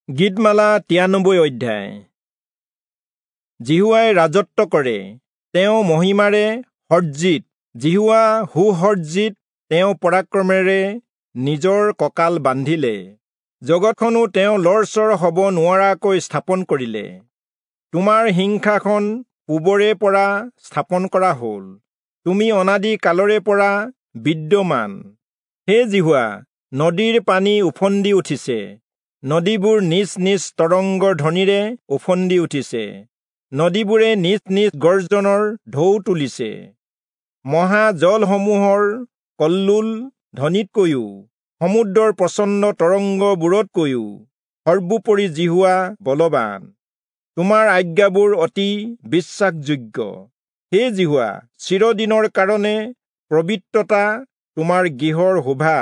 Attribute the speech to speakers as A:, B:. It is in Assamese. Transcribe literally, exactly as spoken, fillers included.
A: গীতমালা তিৰানব্বৈ অধ্যায়। যিহোৱাই ৰাজত্ব কৰে, তেওঁ মহিমাৰে সজ্জিত। যিহোৱা সুসজ্জিত, তেওঁ পৰাক্ৰমেৰে নিজৰ কঁকাল বান্ধিলে। জগতখনো তেওঁ লৰচৰ হ'ব নোৱাৰাকৈ স্থাপন কৰিলে। তোমাৰ সিংহাসন পূবৰে পৰা স্থাপন কৰা হ'ল, তুমি অনাদি কালৰে পৰা বিদ্যমান। হে যিহোৱা, নদীৰ পানী ওফন্দি উঠিছে, নদীবোৰ নিজ নিজ তৰংগৰ ধ্বনিৰে ওফন্দি উঠিছে, নদীবোৰে নিজ নিজ গৰ্জনৰ ঢৌ তুলিছে। মহা জলসমূহৰ কল্লোল ধ্বনিতকৈও, সমুদ্ৰৰ প্ৰচণ্ড তৰংগবোৰতকৈও সৰ্বোপৰি যিহোৱা বলৱান। তোমাৰ আজ্ঞাবোৰ অতি বিশ্বাসযোগ্য। হে যিহোৱা, চিৰদিনৰ কাৰণে পবিত্ৰতা তোমাৰ গৃহৰ শোভা।